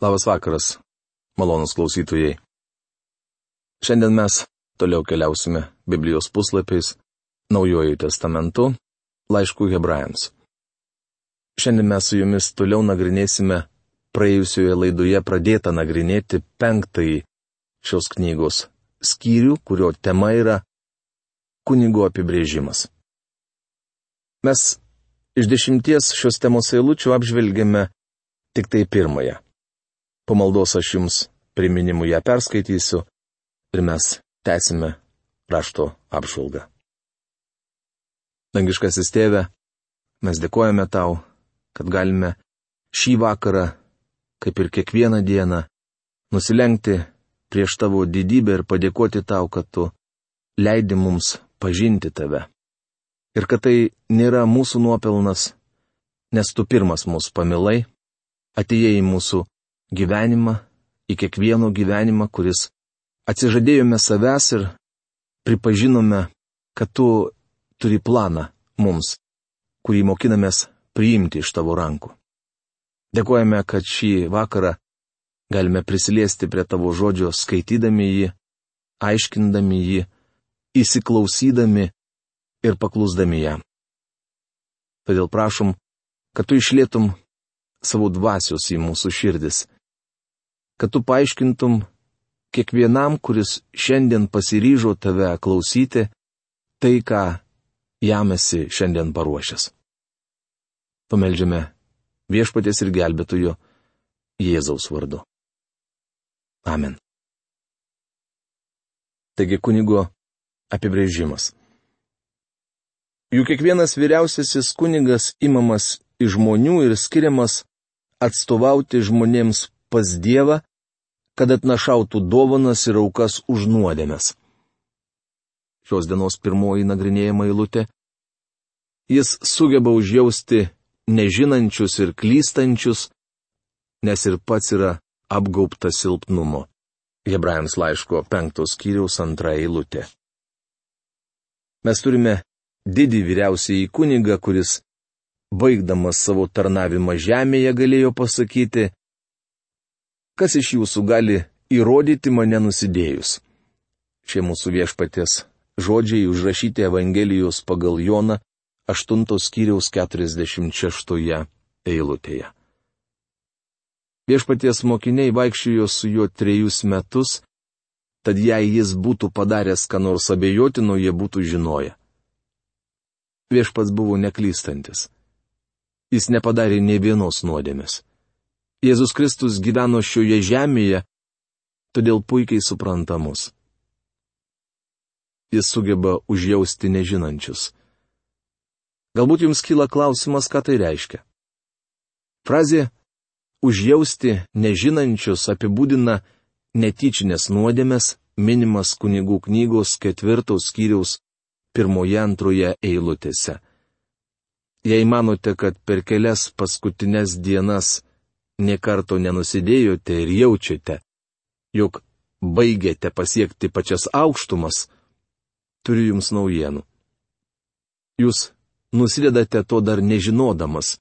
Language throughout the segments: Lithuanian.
Labas vakaras, malonus klausytojai. Šiandien mes toliau keliausime Biblijos puslapiais, Naujuoju testamentu, laišku Hebrajams. Šiandien mes su jumis toliau nagrinėsime praėjusioje laidoje pradėtą nagrinėti 5 šios knygos skyrių, kurio tema yra kunigo apibrėžimas. Mes iš 10 šios temos eilučių apžvelgėme tik tai 1. Po maldos aš jums priminimu ją perskaitysiu ir mes tęsime rašto apžvalgą. Dangiškasis Tėve, mes dėkojame tau, kad galime šį vakarą, kaip ir kiekvieną dieną, nusilenkti prieš tavo didybę ir padėkoti tau, kad tu leidi mums pažinti tave. Ir kad tai nėra mūsų nuopelnas, nes tu pirmas mus pamilai, atėjai į mūsų gyvenimą, į kiekvieno gyvenimą, kuris atsižadėjome savęs ir pripažinome, kad tu turi planą mums, kurį mokinamės priimti iš tavo rankų. Dėkojame, kad šį vakarą galime prisiliesti prie tavo žodžio, skaitydami jį, aiškindami jį, įsiklausydami ir paklusdami jam. Todėl prašom, kad tu išlietum savo dvasios į mūsų širdis, kad tu paaiškintum kiekvienam, kuris šiandien pasiryžo tave klausyti, tai, ką jam esi šiandien paruošęs. Pameldžiame Viešpaties ir Gelbėtojo Jėzaus vardu. Amen. Taigi kunigo apibrėžimas. Juk kiekvienas vyriausiasis kunigas imamas iš žmonių ir skiriamas atstovauti žmonėms pas Dievą, kad atnašautų dovanas ir aukas už nuodėmes. Šios dienos pirmoji nagrinėjama eilutė. Jis sugeba užjausti nežinančius ir klystančius, nes ir pats yra apgaubtas silpnumo. Hebrajams laiško 5 skyriaus 2 eilutė. Mes turime didį vyriausiąjį kunigą, kuris, baigdamas savo tarnavimą žemėje, galėjo pasakyti: kas iš jūsų gali įrodyti mane nusidėjus? Šie mūsų Viešpaties žodžiai užrašyti Evangelijos pagal Joną 8 skyriaus 46 eilutėje. Viešpaties mokiniai vaikščiojo su juo 3 metus, tad jei jis būtų padaręs ką nors abejotino, jie būtų žinoję. Viešpats buvo neklystantis. Jis nepadarė nė vienos nuodėmės. Jėzus Kristus gyveno šioje žemėje, todėl puikiai supranta mus. Jis sugeba užjausti nežinančius. Galbūt jums kyla klausimas, ką tai reiškia. Frazė užjausti nežinančius apibūdina netyčinės nuodėmes, minimas kunigų knygos 4 skyriaus 1-2 eilutėse. Jei manote, kad per kelias paskutinės dienas nė karto nenusidėjote ir jaučiate, jog baigėte pasiekti pačias aukštumas, turiu jums naujienų. Jūs nusidedate to dar nežinodamas,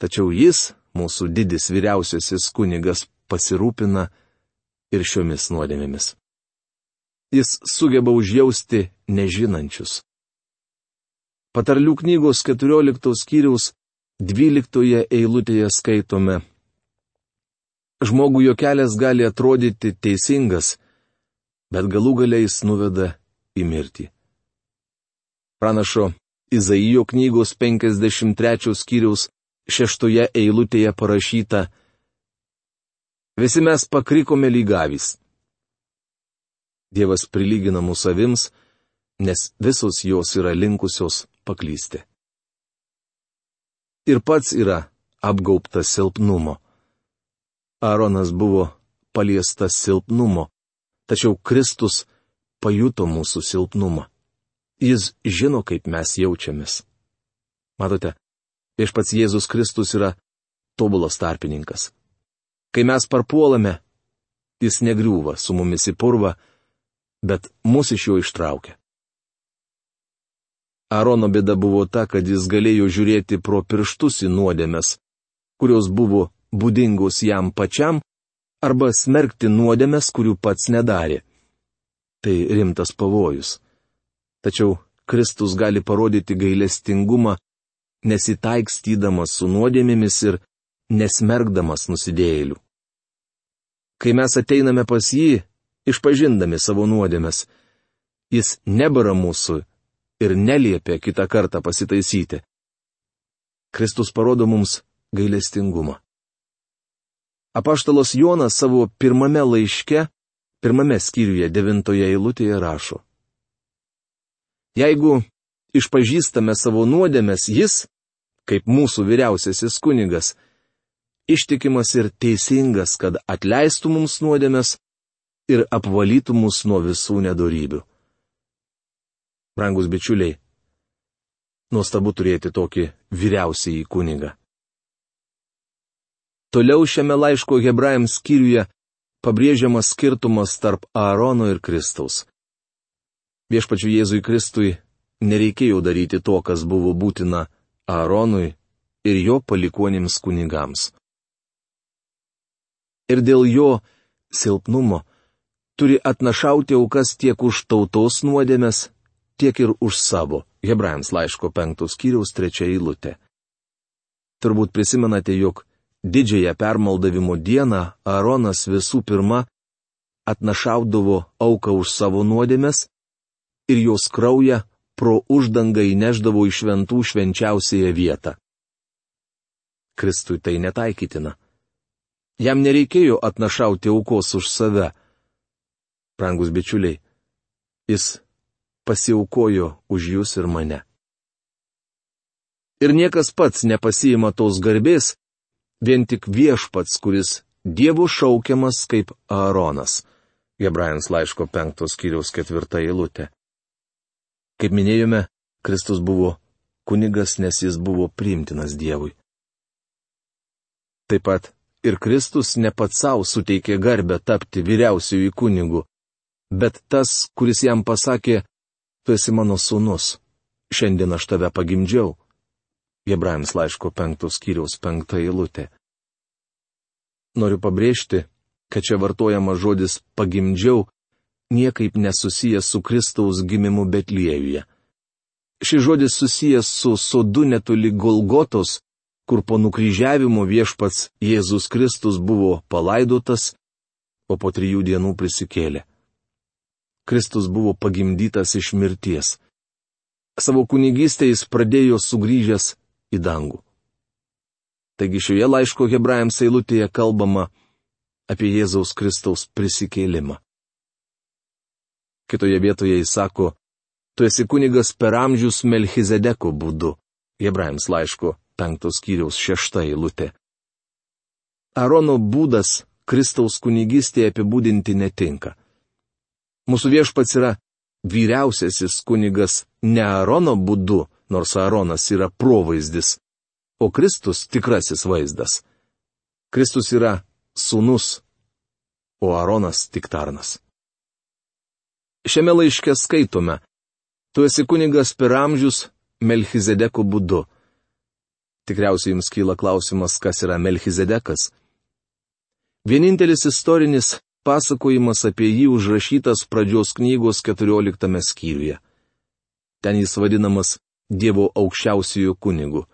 tačiau jis, mūsų didis vyriausiasis kunigas, pasirūpina ir šiomis nuodėmėmis. Jis sugeba užjausti nežinančius. Patarlių knygos 14 skyriaus 12 eilutėje skaitome: žmogų jo kelias gali atrodyti teisingas, bet galų gale jis nuveda į mirtį. Pranašo Izaijo knygos 53 skyriaus 6 eilutėje parašyta: visi mes pakrikome lyg avys. Dievas prilygina mūsų avims, nes visos jos yra linkusios paklysti. Ir pats yra apgaubtas silpnumo. Aaronas buvo paliestas silpnumo, tačiau Kristus pajuto mūsų silpnumą. Jis žino, kaip mes jaučiamės. Matote, Viešpats Jėzus Kristus yra tobulas tarpininkas. Kai mes parpuolame, jis negriūva su mumis į purvą, bet mus iš jo ištraukia. Aarono bėda buvo ta, kad jis galėjo žiūrėti pro pirštus į nuodėmes, kurios buvo būdingos jam pačiam, arba smerkti nuodėmes, kurių pats nedarė. Tai rimtas pavojus. Tačiau Kristus gali parodyti gailestingumą, nesitaikstydamas su nuodėmėmis ir nesmerkdamas nusidėjėlių. Kai mes ateiname pas jį, išpažindami savo nuodėmes, jis nebara mūsų ir neliepia kitą kartą pasitaisyti. Kristus parodo mums gailestingumą. Apaštalas Jonas savo pirmame laiške, 1 skyriuje 9 eilutėje rašo: Jeigu išpažįstame savo nuodėmes, jis, kaip mūsų vyriausiasis kunigas, ištikimas ir teisingas, kad atleistų mums nuodėmes ir apvalytų mus nuo visų nedorybių. Brangus bičiuliai, nuostabu turėti tokį vyriausiąjį kunigą. Toliau šiame laiško Hebrajams skyriuje pabrėžiamas skirtumas tarp Aarono ir Kristaus. Viešpačiui Jėzui Kristui nereikėjo daryti to, kas buvo būtina Aaronui ir jo palikuonims kunigams. Ir dėl jo silpnumo turi atnašauti aukas tiek už tautos nuodėmes, tiek ir už savo. Hebrajams laiško 5 skyriaus 3 eilutė. Turbūt prisimenate, jog didžiąją permaldavimo dieną Aaronas visų pirma atnašaudavo auką už savo nuodėmes ir jos kraują pro uždangą įneždavo į šventų švenčiausiąją vietą. Kristui tai netaikytina. Jam nereikėjo atnašauti aukos už save. Brangus bičiuliai, jis pasiaukojo už jūs ir mane. Ir niekas pats nepasiima tos garbės, vien tik Viešpats, kuris Dievo šaukiamas kaip Aaronas. Hebrajams laiško 5 skyriaus 4 eilutė. Kaip minėjome, Kristus buvo kunigas, nes jis buvo priimtinas Dievui. Taip pat ir Kristus ne pats savo suteikė garbę tapti vyriausiųjų kunigu, bet tas, kuris jam pasakė: Tu esi mano sūnus, šiandien aš tave pagimdžiau. Hebrajams laiško 5 skyriaus 5 eilutė. Noriu pabrėžti, kad čia vartojama žodis pagimdžiau niekaip nesusijęs su Kristaus gimimu Betliejuje. Šis žodis susijęs su sodu netoli Golgotos, kur po nukryžiavimo Viešpats Jėzus Kristus buvo palaidotas, o po 3 dienų prisikėlė. Kristus buvo pagimdytas iš mirties. Savo kunigystę jis pradėjo sugrįžęs į dangų. Taigi šioje laiško Hebrajams eilutėje kalbama apie Jėzaus Kristaus prisikėlimą. Kitoje vietoje jis sako: Tu esi kunigas per amžius Melchizedeko būdu. Hebrajams laiško 5 skyriaus 6 eilutė. Aarono būdas Kristaus kunigystėje apibūdinti netinka. Mūsų Viešpats yra vyriausiasis kunigas ne Aarono būdu, nors Aaronas yra provaizdis, o Kristus tikrasis vaizdas. Kristus yra sūnus, o Aaronas tik tarnas. Šiame laiške skaitome: Tu esi kunigas per amžius Melchizedeko būdu. Tikriausiai jums kyla klausimas, kas yra Melchizedekas. Vienintelis istorinis pasakojimas apie jį užrašytas Pradžios knygos 14 skyriuje. Ten jis vadinamas Dievo aukščiausiųjų kunigu.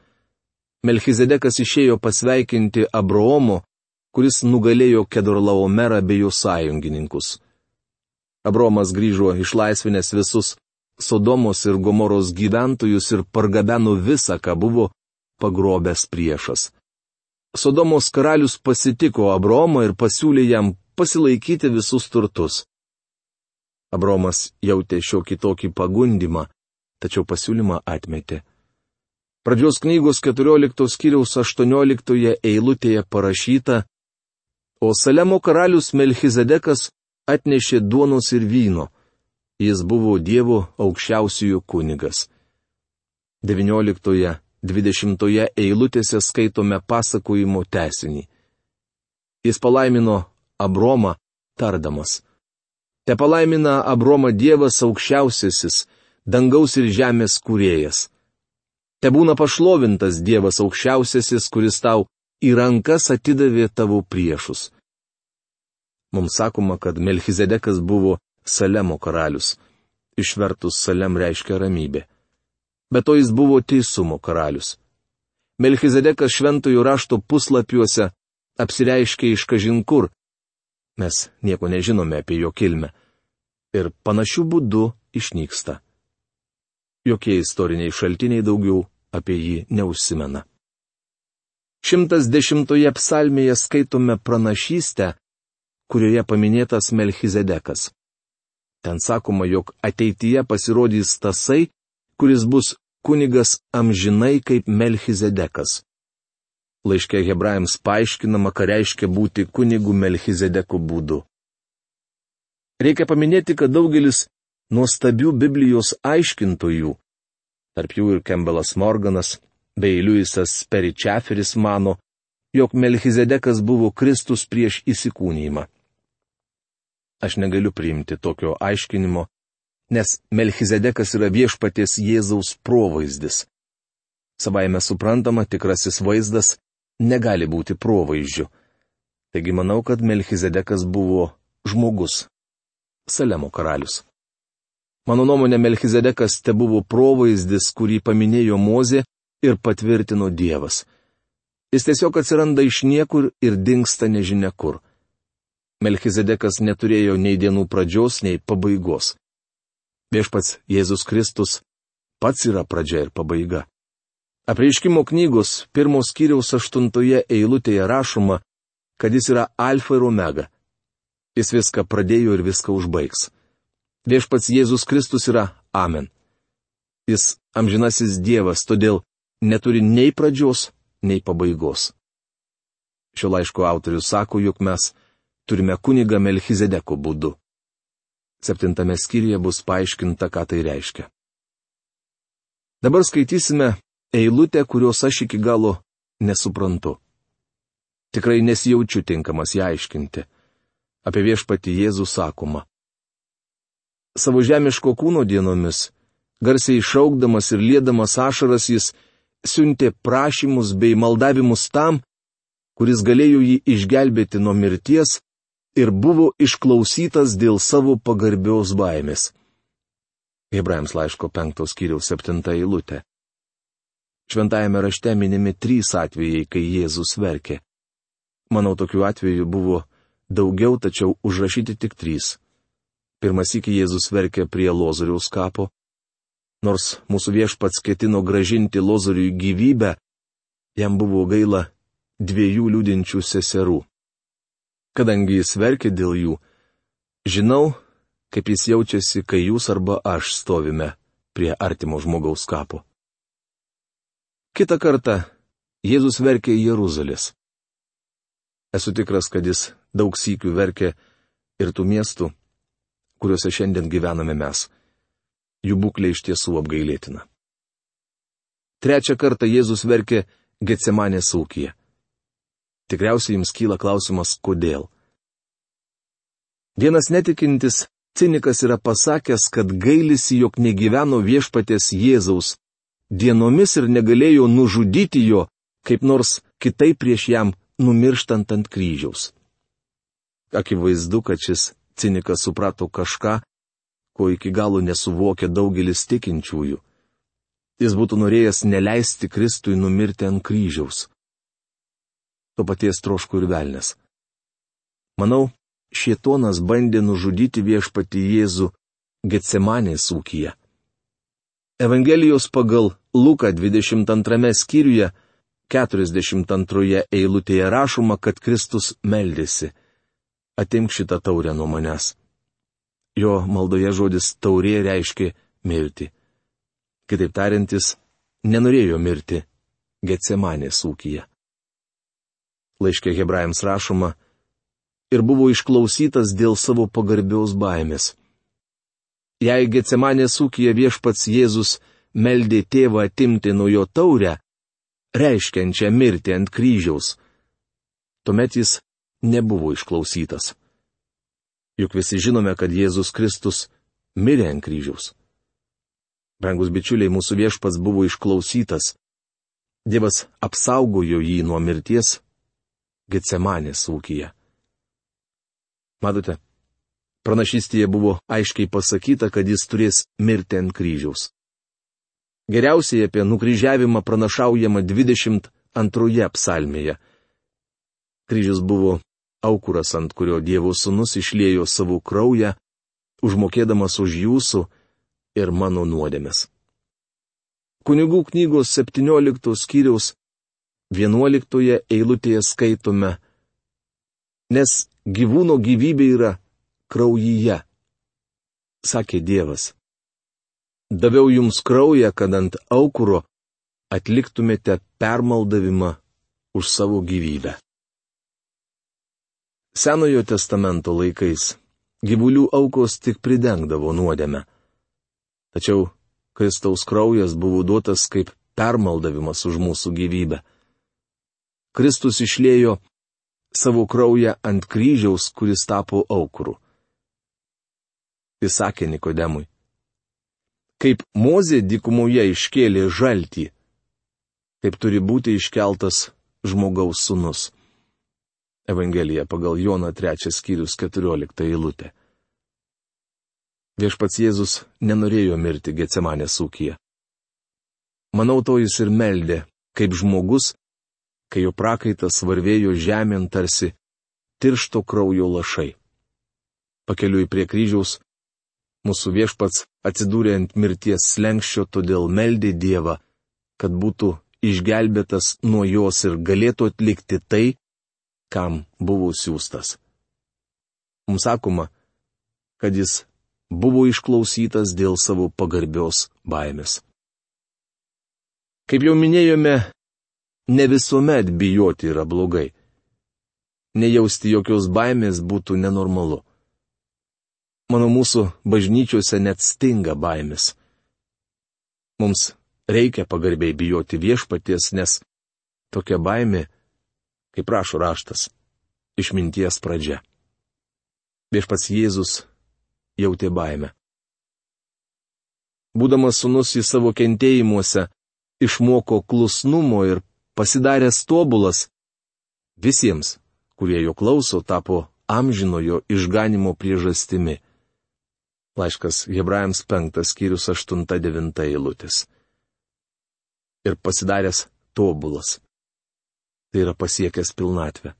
Melchizedekas išėjo pasveikinti Abraomo, kuris nugalėjo Kedorlaomerą bei jo sąjungininkus. Abraomas grįžo išlaisvinęs visus Sodomos ir Gomoros gyventojus ir pargabeno visą, ką buvo pagrobęs priešas. Sodomos karalius pasitiko Abraomą ir pasiūlė jam pasilaikyti visus turtus. Abraomas jautė šiokį tokį pagundimą, tačiau pasiūlymą atmetė. Pradžios knygos 14 skyriaus 18 eilutėje parašyta: O Salemo karalius Melchizedekas atnešė duonos ir vyno. Jis buvo Dievo aukščiausiųjų kunigas. 19-20 eilutėse skaitome pasakojimo tęsinį. Jis palaimino Abromą, tardamas: Te palaimina Abromą Dievas aukščiausiasis, dangaus ir žemės kūrėjas. Te būna pašlovintas Dievas aukščiausiasis, kuris tau į rankas atidavė tavo priešus. Mums sakoma, kad Melchizedekas buvo Salemo karalius. Išvertus Salem reiškia ramybė. Bet to jis buvo teisumo karalius. Melchizedekas šventojo rašto puslapiuose apsireiškia iš kažin kur. Mes nieko nežinome apie jo kilmę. Ir panašių būdų išnyksta. Jokie istoriniai šaltiniai daugiau apie jį neužsimena. 110 psalmėje skaitome pranašystę, kurioje paminėtas Melchizedekas. Ten sakoma, jog ateityje pasirodys tasai, kuris bus kunigas amžinai kaip Melchizedekas. Laiške hebrajams paaiškinama, ką reiškia būti kunigu Melchizedeku būdu. Reikia paminėti, kad daugelis nuostabių Biblijos aiškintojų, tarp jų ir Campbellas Morganas bei Louisas Perry Chaferis mano, jog Melchizedekas buvo Kristus prieš įsikūnijimą. Aš negaliu priimti tokio aiškinimo, nes Melchizedekas yra viešpaties Jėzaus provaizdis. Savaime suprantama, tikrasis vaizdas negali būti provaizdžiu. Taigi manau, kad Melchizedekas buvo žmogus, Salemo karalius. Mano nuomonė, Melchizedekas tebuvo provaizdis, kurį paminėjo Mozė ir patvirtino Dievas. Jis tiesiog atsiranda iš niekur ir dingsta nežinia kur. Melchizedekas neturėjo nei dienų pradžios, nei pabaigos. Viešpats Jėzus Kristus pats yra pradžia ir pabaiga. Apreiškimo knygos 1 skyriaus 8 eilutėje rašoma, kad jis yra alfa ir omega. Jis viską pradėjo ir viską užbaigs. Viešpats Jėzus Kristus yra Amen. Jis amžinasis Dievas, todėl neturi nei pradžios, nei pabaigos. Šio laiško autorius sako, jog mes turime kunigą Melchizedeko būdu. 7 skyriuje bus paaiškinta, ką tai reiškia. Dabar skaitysime eilutę, kurios aš iki galo nesuprantu. Tikrai nesijaučiu tinkamas ją aiškinti. Apie viešpatį Jėzų sakoma. Savo žemiško kūno dienomis, garsiai šaukdamas ir liedamas ašaras, jis siuntė prašymus bei maldavimus tam, kuris galėjo jį išgelbėti nuo mirties ir buvo išklausytas dėl savo pagarbios baimės. Hebrajams laiško 5 skyriaus 7 eilutė. Šventajame rašte minimi 3 atvejai, kai Jėzus verkė. Manau, tokių atvejų buvo daugiau, tačiau užrašyti tik 3. Pirmąsyk Jėzus verkė prie Lozoriaus kapo. Nors mūsų viešpats ketino gražinti Lozoriui gyvybę, jam buvo gaila 2 liūdinčių seserų. Kadangi jis verkė dėl jų, žinau, kaip jis jaučiasi, kai jūs arba aš stovime prie artimo žmogaus kapo. Kitą kartą Jėzus verkė į Jeruzalės. Esu tikras, kad jis daug sykių verkė ir tų miestų, kuriuose šiandien gyvename mes. Jų būklė iš tiesų apgailėtina. 3 kartą Jėzus verkė Getsemanės ūkyje. Tikriausiai jums kyla klausimas, kodėl. Vienas netikintis cinikas yra pasakęs, kad gailisi, jog negyveno viešpaties Jėzaus dienomis ir negalėjo nužudyti jo, kaip nors kitaip prieš jam numirštant ant kryžiaus. Akivaizdu, kad šis cinikas suprato kažką, ko iki galo nesuvokia daugelis tikinčiųjų. Jis būtų norėjęs neleisti Kristui numirti ant kryžiaus. To paties troško ir velnias. Manau, šėtonas bandė nužudyti viešpatį Jėzų Getsemanės ūkyje. Evangelijos pagal Luką 22 skyriuje 42 eilutėje rašoma, kad Kristus meldėsi: atimk šitą taurę nuo manęs. Jo maldoje žodis taurė reiškia mirti. Kitaip tariant, jis nenorėjo mirti Getsemanės ūkyje. Laiške hebrajams rašoma: ir buvo išklausytas dėl savo pagarbios baimės. Jei Getsemanės ūkyje viešpats Jėzus meldė tėvą atimti nuo jo taurę, reiškiančią mirtį ant kryžiaus, tuomet jis nebuvo išklausytas. Juk visi žinome, kad Jėzus Kristus mirė ant kryžiaus. Brangus bičiuliai, mūsų viešpats buvo išklausytas. Dievas apsaugojo jį nuo mirties Getsemanės ūkyje. Matote, pranašystėje buvo aiškiai pasakyta, kad jis turės mirti ant kryžiaus. Geriausiai apie nukryžiavimą pranašaujama 22 psalmėje. Kryžius buvo aukuras, ant kurio Dievo Sūnus išliejo savo kraują, užmokėdamas už jūsų ir mano nuodėmes. Kunigų knygos 17 skyriaus 11 eilutėje skaitome: nes gyvūno gyvybė yra kraujyje, sakė Dievas. Daviau jums kraują, kad ant aukuro atliktumėte permaldavimą už savo gyvybę. Senojo testamento laikais gyvulių aukos tik pridengdavo nuodėmę. Tačiau Kristaus kraujas buvo duotas kaip permaldavimas už mūsų gyvybę. Kristus išliejo savo kraują ant kryžiaus, kuris tapo aukuru. Jis sakė Nikodemui: kaip Mozė dykumoje iškėlė žaltį, taip turi būti iškeltas žmogaus sūnus. Evangelija pagal Joną 3 skyrius 14 eilutė. Viešpats Jėzus nenorėjo mirti Getsemanės ūkyje. Manau, to jis ir meldė, kaip žmogus, kai jo prakaitas varvėjo žemėn tarsi tiršto kraujo lašai. Pakeliui prie kryžiaus mūsų Viešpats atsidūrė ant mirties slenksčio, todėl meldė Dievą, kad būtų išgelbėtas nuo jos ir galėtų atlikti tai, kam buvo siųstas. Mums sakoma, kad jis buvo išklausytas dėl savo pagarbios baimės. Kaip jau minėjome, ne visuomet bijoti yra blogai. Nejausti jokios baimės būtų nenormalu. Manau, mūsų bažnyčiose net stinga baimės. Mums reikia pagarbiai bijoti Viešpaties, nes tokia baimė, kaip rašo raštas, išminties pradžia. Viešpats Jėzus jautė baimę. Būdamas sūnus į savo kentėjimuose, išmoko klusnumo ir pasidaręs tobulas, visiems, kurie jo klauso, tapo amžinojo išganimo priežastimi. Laiškas Hebrajams 5 skyrius 8-9 eilutės. Ir pasidaręs tobulas. Tai yra pasiekęs pilnatvę.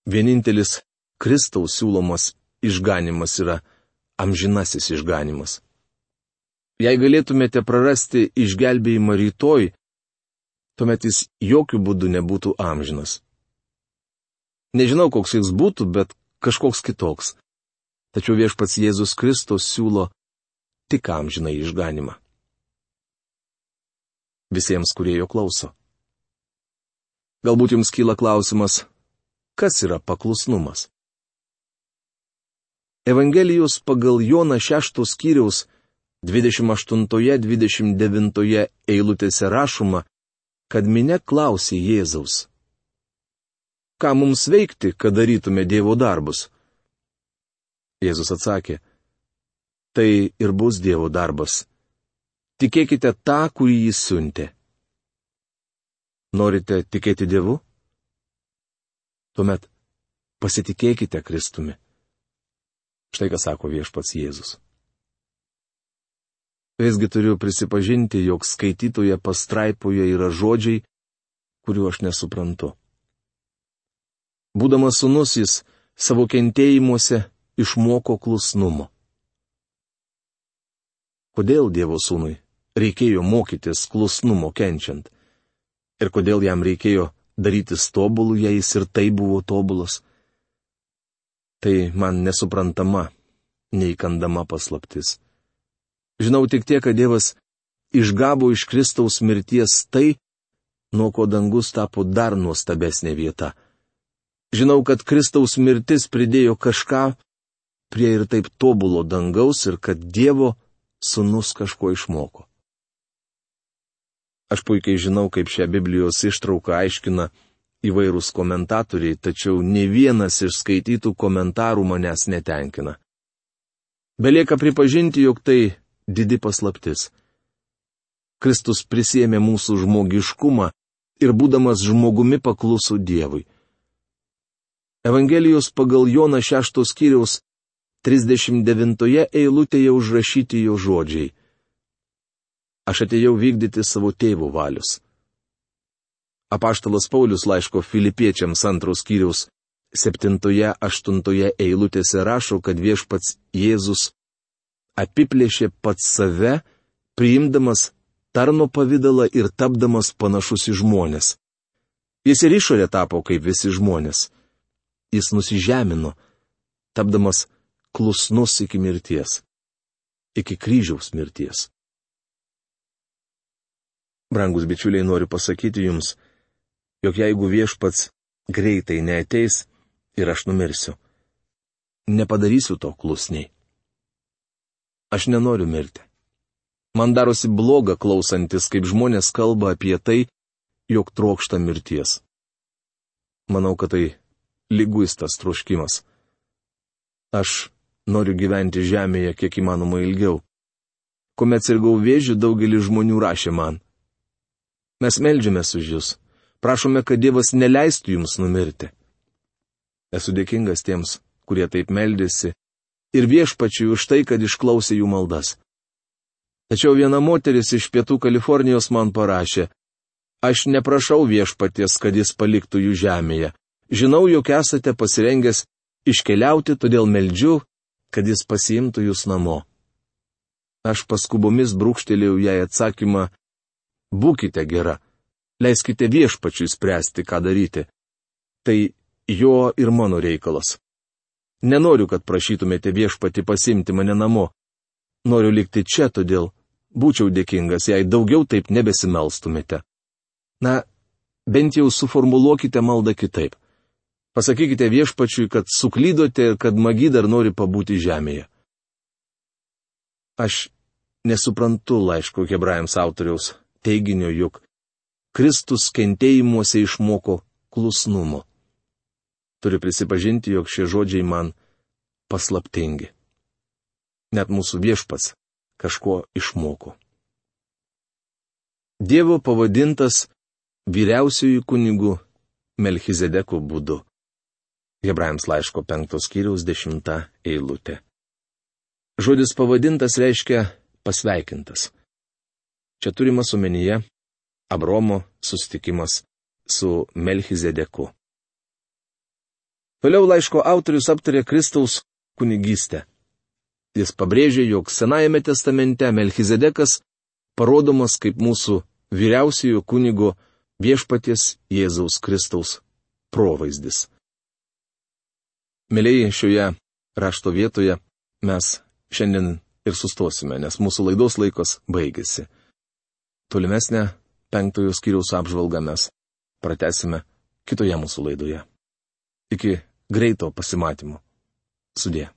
Vienintelis Kristaus siūlomas išganimas yra amžinasis išganimas. Jei galėtumėte prarasti išgelbėjimą rytoj, tuomet jis jokių būdų nebūtų amžinas. Nežinau, koks jis būtų, bet kažkoks kitoks. Tačiau Viešpats Jėzus Kristus siūlo tik amžiną išganimą. Visiems, kurie jo klauso. Galbūt jums kyla klausimas, kas yra paklusnumas? Evangelijos pagal Joną 6 skyriaus 28-29 eilutėse rašoma, kad minia klausė Jėzaus: ką mums veikti, kad darytume Dievo darbus? Jėzus atsakė: tai ir bus Dievo darbas. Tikėkite tą, kurį jis siuntė. Norite tikėti Dievu? Tuomet pasitikėkite Kristumi. Štai ką sako Viešpats Jėzus. Visgi turiu prisipažinti, jog skaitytoje pastraipoje yra žodžiai, kuriuo aš nesuprantu. Būdamas sūnus, jis savo kentėjimuose išmoko klusnumo. Kodėl Dievo sūnui reikėjo mokytis klusnumo kenčiant? Ir kodėl jam reikėjo darytis tobulų, jei jis ir tai buvo tobulas? Tai man nesuprantama, neįkandama paslaptis. Žinau tik tiek, kad Dievas išgavo iš Kristaus mirties tai, nuo ko dangus tapo dar nuostabesnė vieta. Žinau, kad Kristaus mirtis pridėjo kažką prie ir taip tobulo dangaus ir kad Dievo sūnus kažko išmoko. Aš puikiai žinau, kaip šią Biblijos ištrauką aiškina įvairūs komentatoriai, tačiau ne vienas iš skaitytų komentarų manęs netenkina. Belieka pripažinti, jog tai didi paslaptis. Kristus prisiėmė mūsų žmogiškumą ir būdamas žmogumi pakluso Dievui. Evangelijos pagal Joną 6 skyriaus 39 eilutėje užrašyti jo žodžiai. Aš atėjau vykdyti savo tėvo valios. Apaštalas Paulius laiško Filipiečiams 2 skyriaus 7-8 eilutėse rašo, kad viešpats Jėzus apiplėšė pats save, priimdamas tarno pavydalą ir tapdamas panašus į žmonės. Jis ir išorė tapo kaip visi žmonės. Jis nusižemino, tapdamas klusnus iki mirties, iki kryžiaus mirties. Brangus bičiuliai, noriu pasakyti jums, jog jeigu viešpats greitai neateis ir aš numirsiu, nepadarysiu to klusniai. Aš nenoriu mirti. Man darosi bloga klausantis, kaip žmonės kalba apie tai, jog trokšta mirties. Manau, kad tai liguistas troškimas. Aš noriu gyventi žemėje kiek įmanoma ilgiau. Kuomet sirgau vėžiu, daugelis žmonių rašė man: mes meldžiamės už jūs, prašome, kad Dievas neleistų jums numirti. Esu dėkingas tiems, kurie taip meldėsi, ir viešpačiui už tai, kad išklausė jų maldas. Tačiau viena moteris iš Pietų Kalifornijos man parašė: aš neprašau viešpaties, kad jis paliktų jų žemėje. Žinau, jog esate pasirengęs iškeliauti, todėl meldžiu, kad jis pasiimtų jūs namo. Aš paskubomis brūkštelėjau jai atsakymą: būkite gera, leiskite viešpačiui spręsti, ką daryti. Tai jo ir mano reikalas. Nenoriu, kad prašytumėte viešpatį pasimti mane namo. Noriu likti čia, todėl būčiau dėkingas, jei daugiau taip nebesimelstumėte. Na, bent jau suformuluokite maldą kitaip. Pasakykite viešpačiui, kad suklydote ir kad magi dar nori pabūti žemėje. Aš nesuprantu laiško Hebrajams autoriaus teiginio, jog Kristus kentėjimuose išmoko klusnumo. Turiu prisipažinti, jog šie žodžiai man paslaptingi. Net mūsų viešpats kažko išmoko. Dievo pavadintas vyriausiųjų kunigų Melchizedeko būdu. Hebrajams laiško 5 skyriaus 10 eilutė. Žodis pavadintas reiškia pasveikintas. Čia turimas omenyje Abromo susitikimas su Melchizedeku. Toliau laiško autorius aptarė Kristaus kunigystę. Jis pabrėžė, jog Senajame testamente Melchizedekas parodomas kaip mūsų vyriausiojo kunigo viešpaties Jėzaus Kristaus provaizdis. Mėlyje, šioje rašto vietoje mes šiandien ir sustosime, nes mūsų laidos laikas baigėsi. Tolimesnę 5 skyriaus apžvalgą mes pratęsime kitoje mūsų laidoje. Iki greito pasimatymo. Sudie.